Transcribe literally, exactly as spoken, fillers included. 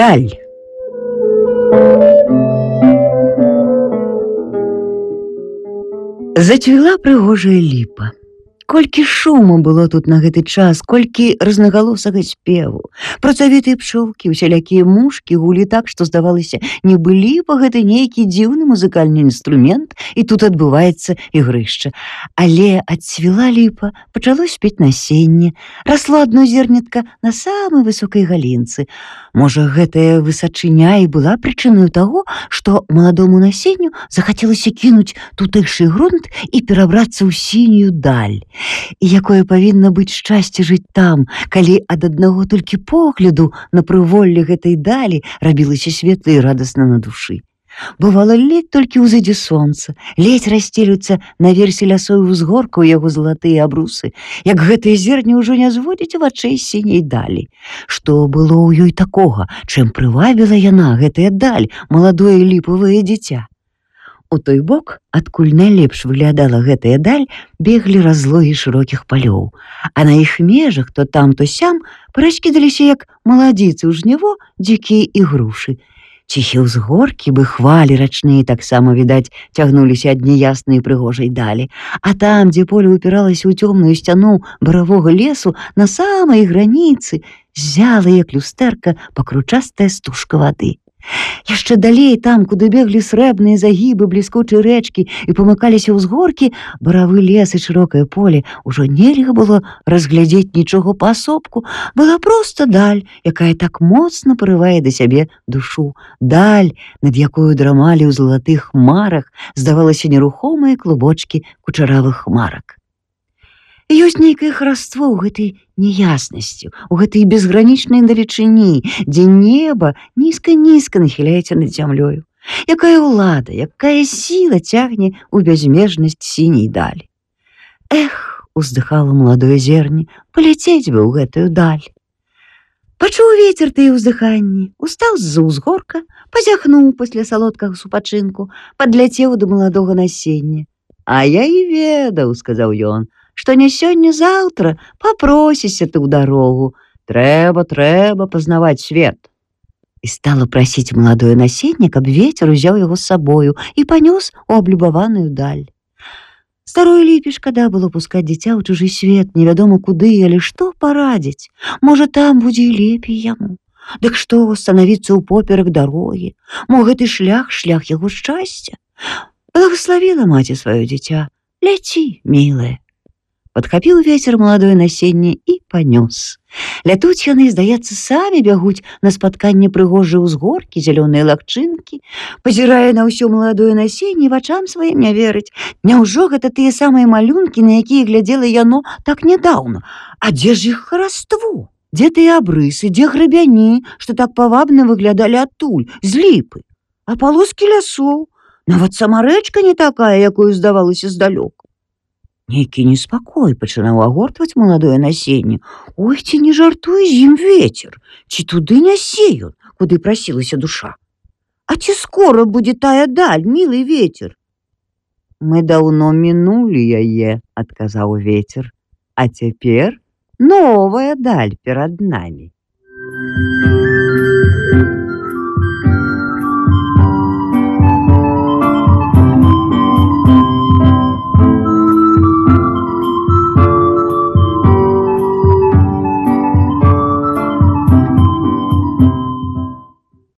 Даль. Зацвіла прыгожая ліпа. Колькі шуму было тут на гэты час, колькі рознагалосага спеву. Працавітыя пчолкі, усялякія мушкі гулі так, што здавалася, нібы ліпа гэта нейкі дзіўны музыкальны інструмент, і тут адбываецца ігрышча. Але адцвіла ліпа, пачало спець насенне, расло адно зернятка на самай высокай галінцы. Можа, гэтая высачыня і была прычынаю таго, што маладому насенню захацелася кінуць тутэйшы грунт і перабрацца ў сінюю даль. І якое павінна быць шчасце жыць там, калі ад аднаго толькі погляду на прыволле гэтай далі рабілася светла і радасна на душы. Бывала, ледь толькі ўзыдзе сонца, ледь расцелюцца наверсе лясой узгорка ў яго залатыя абрусы, як гэтае зерне ўжо не зводзіць вачэй з сіняй далі. Што было ў ёй такога, чым прывабіла яна, гэтая даль, маладое ліпавае дзіця? У той бок, адкуль найлепш выглядала гэтая даль, беглі разлогі шырокіх палёў, а на іх межах то там, то сям параскідаліся, як маладзіцы ў жніво, дзікія ігрушы. Ціхі ўзгоркі, бы хвалі рачныя таксама, відаць, цягнуліся ад няяснай прыгожай далі, а там, дзе поле упіралася ў цёмную сцяну баравога лесу, на самай граніцы ззяла, як люстэрка, пакручастая стужка вады. Яшчэ далей, там, куды беглі срэбныя загібы бліскучай рэчкі і памыкаліся ўзгоркі, баравы лес і шырокае поле, ужо нельга было разглядзець нічога паасобку. Была проста даль, якая так моцна парывае да сябе душу. Даль, над якою драмалі ў залатых хмарах, здавалася, нерухомыя клубочкі кучаравых хмарак. Ёсць нейкае хараство ў гэтай няяснасці, у гэтай безгранічнай далечыні, дзе неба нізка-нізка нахіляецца над зямлёю. Якая ўлада, якая сіла цягне ў бязмежнасць сіняй далі. Эх, уздыхала маладое зерне, паляцець бы ў гэтую даль. Пачуў вецер тыя ўздыханні, устаў з-за ўзгорка, пазяхнуў пасля салодкага супачынку, падляцеў да маладога насення. А я і ведаў, сказаў ён, што не сёння-заўтра папросіся ты ў дарогу. Трэба, трэба пазнаваць свет. І стала прасіць маладое насенне, каб вецер узяў яго з сабою і панёс у аблюбаваную даль. Старой ліпе шкада было пускаць дзіця ў чужы свет, невядома куды, але што парадзіць? Можа, там будзе і лепей яму. Дык што, станавіцца ўпоперак дарогі? Мо гэты шлях, шлях яго шчасця? Благаславіла маці сваё дзіця. Ляці, мілае. Падхапіў вецер маладое насенне і панёс. Лятуць яны, здаецца, самі бягуць на спатканне прыгожай узгоркі, зялёныя лагчынкі. Пазірае на ўсё маладое насенне, вачам сваім не верыць. Няўжо гэта тыя самыя малюнкі, на якія глядзела яно так нядаўна? А дзе ж іх хараство? Дзе тыя абрысы, дзе грабяні, што так павабна выглядалі адтуль, з ліпы? А палоскі лясоў? Нават сама рэчка не такая, якую здавалася здалёк. Нейкі неспакой пачынаў агортваць маладое насенне. Ой, ці не жартуе з ім вецер? Ці туды нясе ён, куды прасілася душа? А ці скора будзе тая даль, мілы вецер? Мы даўно мінулі яе, адказаў вецер. А цяпер новая даль перад намі.